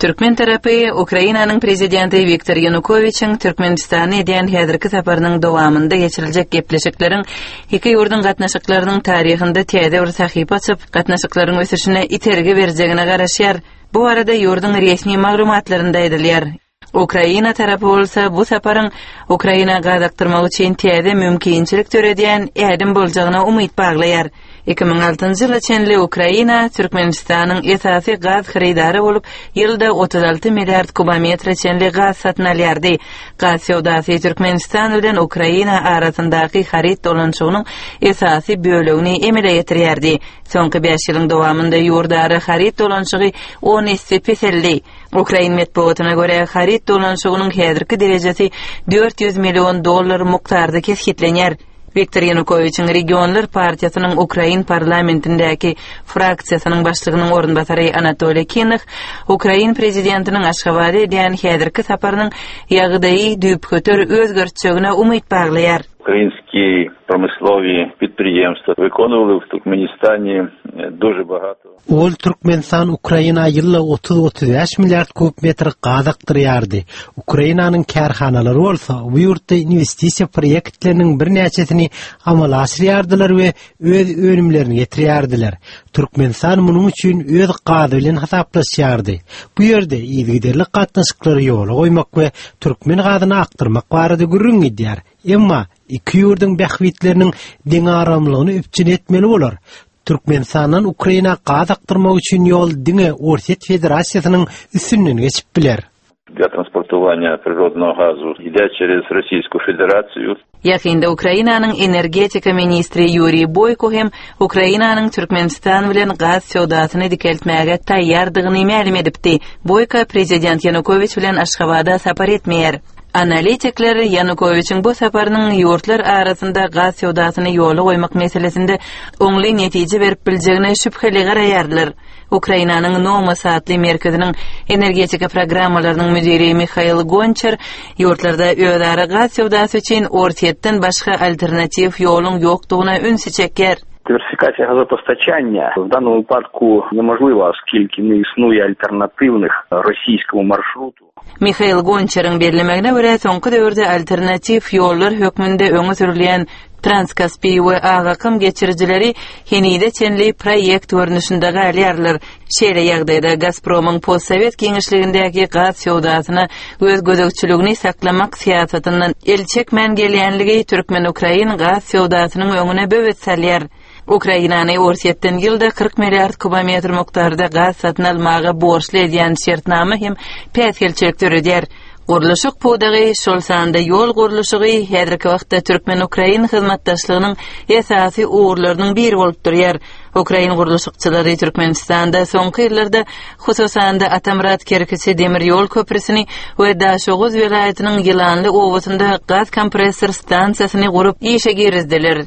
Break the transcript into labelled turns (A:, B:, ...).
A: Türkmen tarapy Ukrainanyň Prezidenti Wiktor Ýanukowiçiň Türkmenistana edýän häzirki saparynyň dowamynda geçiriljek gepleşikleriň iki ýurduň gatnaşyklarynyň taryhynda täze bir sahypa açyp, gatnaşyklaryň ösüşine itergi berjegine garaşýar. Bu barada ýurduň resmi maglumatlarynda aýdylýar. Ukraina tarapy bolsa bu saparyň Ukraina gaz akdyrmak üçin täze mümkinçilik döredýän ädim boljagyna umyt baglaýar. 2006-njy ýyla çenli Ukraina Türkmenistanyň esasy gaz hyrydary bolup, ýylda 36 milliard kubometre çenli gaz satyn alýardy. Gaz söwdasy Türkmenistan bilen Ukraina arasyndaky haryt dolanyşygynyň esasy bölegini emele getirýärdi. Soňky bäş ýylyň dowamynda ýurdara haryt dolanyşygy on esse peseldi. Ukrain metbugatyna görä, haryt dolanyşygynyň häzirki derejesi 400 million dollar mukdarda kesgitlenýär. Wiktor Ýanukowiçiň Regionlar partiýasynyň ukrain parlamentindäki fraksiýasynyň başlygynyň orunbasary Anatoliý Kinah ukrain prezidentiniň Aşgabada edýän häzirki saparynyň ýagdaýy düýpgöter özgertjegine umyt baglaýar.
B: Ukrainskiý promyslowiý predpriýemstwa wykonywali w Türkmenistanie duže bogato.
C: Ol Türkmenistan Ukraina ýylda 30-35 milliard kub metr gaz akdyrýardy. Ukrainanyň kärhanalary bolsa bu ýurtda inwestisiýa proýektleriniň birnäçesini amala aşyrýardylar we öz önümlerini getirýärdiler. Türkmenistan munuň üçin öz gazy bilen hasaplaşýardy. Bu ýerde yzygiderli gatnaşyklary ýola goýmak we türkmen gazyny akdyrmak barada gürrüň gidýär. Emma iki ýurduň bähbitleriniň deňagramlygyny üpjün etmeli bolar. Türkmenistandan Ukraina gaz akdyrmak üçin ýol diňe Orsýet Federasiýasynyň üstünden geçip biler.
B: Dla transportowania prirodnogo gazu ide çerez Rossiýsku Federasiýu.
A: Ýakynda Ukrainanyň energetika ministri Ýuriý Boýko hem Ukrainanyň Türkmenistan bilen gaz söwdasyny dikeltmäge taýýardygyny mälim edipdi. Boýko prezident Ýanukowiç bilen Aşgabada sapar etmeýär. Analitikler Ýanukowiçiň bu saparynyň ýurtlar arasynda gaz söwdasyny ýola goýmak meselesinde oňly netije berip biljegine şübheli garaýarlar. Ukrainanyň Nomos atly merkeziniň energetika programmalarynyň müdiri Mihail Gonçar ýurtlarda özara gaz söwdasy üçin Orsýetden başga alternatiw ýoluň ýokdugyna ünsi çekýär.
D: Diwersifikasiýa gazopostaçaniýa w danym wypadku niemożliwa, oskilki nie isnuje alternatywnych rosyjskiemu marşrutu.
A: Mihail Gonçaryň bellemegine görä, soňky döwürde alternatiw ýollar hökmünde öňe sürülýän Transkaspiý we Ak akym geçirijileri henize çenli proýekt görnüşinde galýarlar. Şeýle ýagdaýda Gazpromyň postsowet giňişligindäki gaz söwdasyna öz gözegçiligini saklamak syýasatyndan el çekmän gelýänligi türkmen-ukrain gaz söwdasynyň öňüne böwet salýar. Ukrainany Orsýetden ýylda 40 milliard kubometr mukdarda gaz satyn almaga borçly edýän şertnama hem päsgelçilik döredýär. Gurluşyk pudagy, şol sanda ýol gurluşygy häzirki wagtda türkmen-ukrain hyzmatdaşlygynyň esasy ugurlarynyň biri bolup durýar. Ukrain gurluşykçylary Türkmenistanda soňky ýyllarda, hususan-da, Atamyrat-Kerkiçi demir ýol köprüsini we Daşoguz welaýatynyň Ýylanly obasynda gaz kompressor stansiýasyny gurup işe girizdiler.